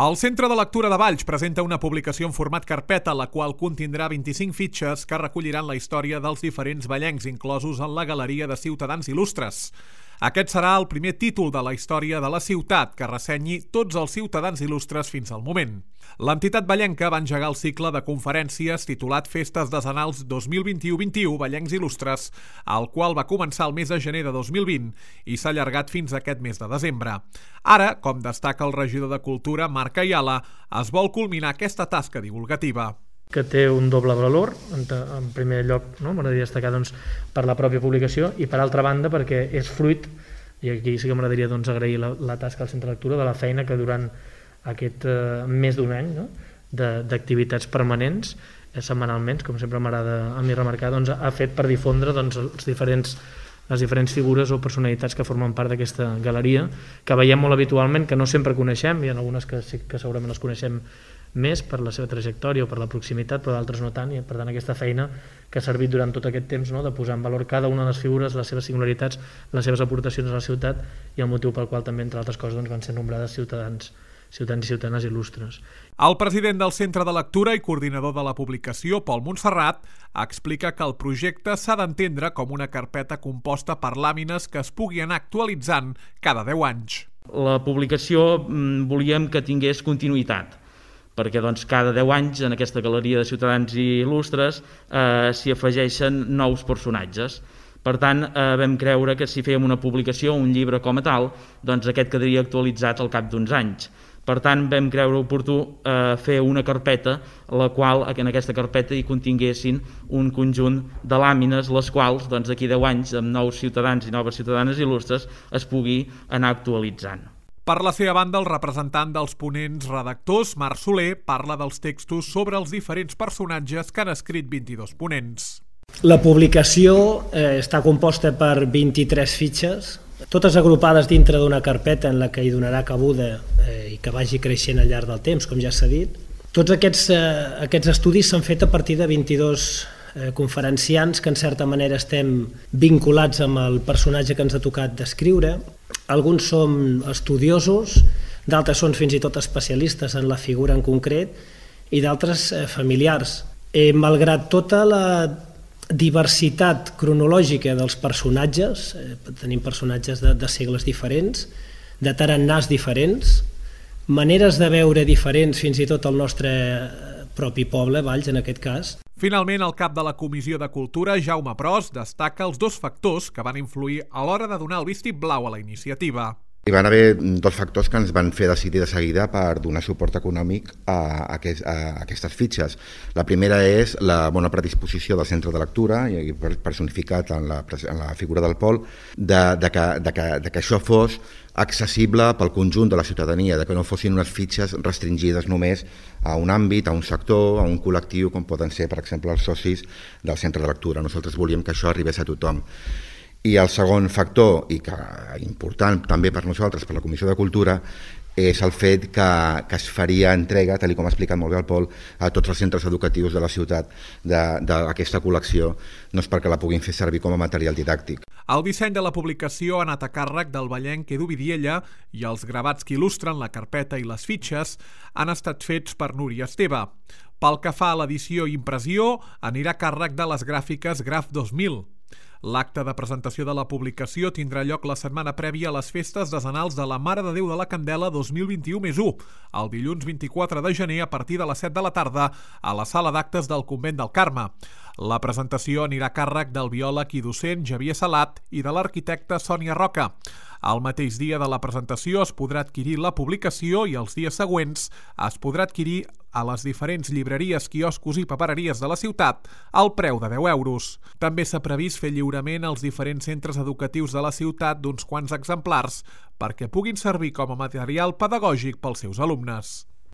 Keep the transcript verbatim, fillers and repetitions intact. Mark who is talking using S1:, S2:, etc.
S1: El Centre de Lectura de Valls presenta una publicació en format carpeta, la qual contindrà vint-i-cinc fitxes que recolliran la història dels diferents vallencs inclosos en la Galeria de Ciutadans Il·lustres. Aquest serà el primer títol de la història de la ciutat que ressenyi tots els ciutadans il·lustres fins al moment. L'entitat vallenca va engegar el cicle de conferències titulat Festes Decenals dos mil vint-i-u vint-i-u Vallencs Il·lustres, el qual va començar el mes de gener de dos mil vint i s'ha allargat fins a aquest mes de desembre. Ara, com destaca el regidor de Cultura, Marc Ayala, es vol culminar aquesta tasca divulgativa.
S2: Que té un doble valor, en primer lloc, no? M'agradaria destacar doncs, per la pròpia publicació i per altra banda perquè és fruit, i aquí sí que m'agradaria doncs, agrair la, la tasca al Centre de Lectura de la feina que durant aquest eh, més d'un any no? d'activitats permanents, eh, setmanalment, com sempre m'agrada a mi remarcar, doncs, ha fet per difondre doncs, els diferents les diferents figures o personalitats que formen part d'aquesta galeria, que veiem molt habitualment, que no sempre coneixem, hi ha algunes que, sí, que segurament les coneixem més per la seva trajectòria o per la proximitat, però d'altres no tant, i per tant aquesta feina que ha servit durant tot aquest temps no, de posar en valor cada una de les figures, les seves singularitats, les seves aportacions a la ciutat i el motiu pel qual també, entre altres coses, doncs, van ser nombrades ciutadans ciutadans i ciutadanes il·lustres.
S1: El president del Centre de Lectura i coordinador de la publicació, Pol Montserrat, explica que el projecte s'ha d'entendre com una carpeta composta per làmines que es pugui anar actualitzant cada deu anys.
S3: La publicació volíem que tingués continuïtat, perquè doncs, cada deu anys en aquesta galeria de ciutadans i il·lustres eh, s'hi afegeixen nous personatges. Per tant, eh, vam creure que si fèiem una publicació, un llibre com a tal, doncs aquest quedaria actualitzat al cap d'uns anys. Per tant, vam creure oportú eh, fer una carpeta, la qual en aquesta carpeta hi continguessin un conjunt de làmines, les quals doncs, d'aquí deu anys, amb nous ciutadans i noves ciutadanes il·lustres, es pugui anar actualitzant.
S1: Per la seva banda, el representant dels ponents redactors, Marc Soler, parla dels textos sobre els diferents personatges que han escrit vint-i-dos ponents.
S4: La publicació eh, està composta per vint-i-tres fitxes, totes agrupades dintre d'una carpeta en la que hi donarà cabuda eh, i que vagi creixent al llarg del temps, com ja s'ha dit. Tots aquests, eh, aquests estudis s'han fet a partir de vint-i-dos eh, conferenciants que en certa manera estem vinculats amb el personatge que ens ha tocat descriure. Alguns som estudiosos, d'altres són fins i tot especialistes en la figura en concret i d'altres eh, familiars. Eh, malgrat tota la diversitat cronològica dels personatges, eh, tenim personatges de, de segles diferents, de tarannàs diferents, maneres de veure diferents fins i tot el nostre propi poble, Valls en aquest cas.
S1: Finalment, el cap de la Comissió de Cultura, Jaume Pros, destaca els dos factors que van influir a l'hora de donar el vistiplau a la iniciativa.
S5: Hi van haver dos factors que ens van fer decidir de seguida per donar suport econòmic a, aquest, a aquestes fitxes. La primera és la bona predisposició del Centre de Lectura, i personificat en la, en la figura del Pol, de, de, que, de, que, de que això fos accessible pel conjunt de la ciutadania, de que no fossin unes fitxes restringides només a un àmbit, a un sector, a un col·lectiu, com poden ser, per exemple, els socis del Centre de Lectura. Nosaltres volíem que això arribés a tothom. I el segon factor, i que important també per nosaltres, per la Comissió de Cultura, és el fet que, que es faria entrega, tal com ha explicat molt bé el Pol, a tots els centres educatius de la ciutat d'aquesta col·lecció, no és perquè la puguin fer servir com a material didàctic.
S1: El disseny de la publicació ha anat a càrrec del vallenc Edu Vidiella i els gravats que il·lustren la carpeta i les fitxes han estat fets per Núria Esteve. Pel que fa a l'edició i impressió, anirà a càrrec de les gràfiques Graf dos mil. L'acte de presentació de la publicació tindrà lloc la setmana prèvia a les festes decenals de la Mare de Déu de la Candela dos mil vint-i-u més u, el dilluns vint-i-quatre de gener a partir de les set de la tarda a la sala d'actes del Convent del Carme. La presentació anirà a càrrec del biòleg i docent Xavier Salat i de l'arquitecta Sònia Roca. El mateix dia de la presentació es podrà adquirir la publicació i els dies següents es podrà adquirir a les diferents llibreries, quioscos i papereries de la ciutat al preu de deu euros. També s'ha previst fer lliurament als diferents centres educatius de la ciutat d'uns quants exemplars perquè puguin servir com a material pedagògic pels seus alumnes.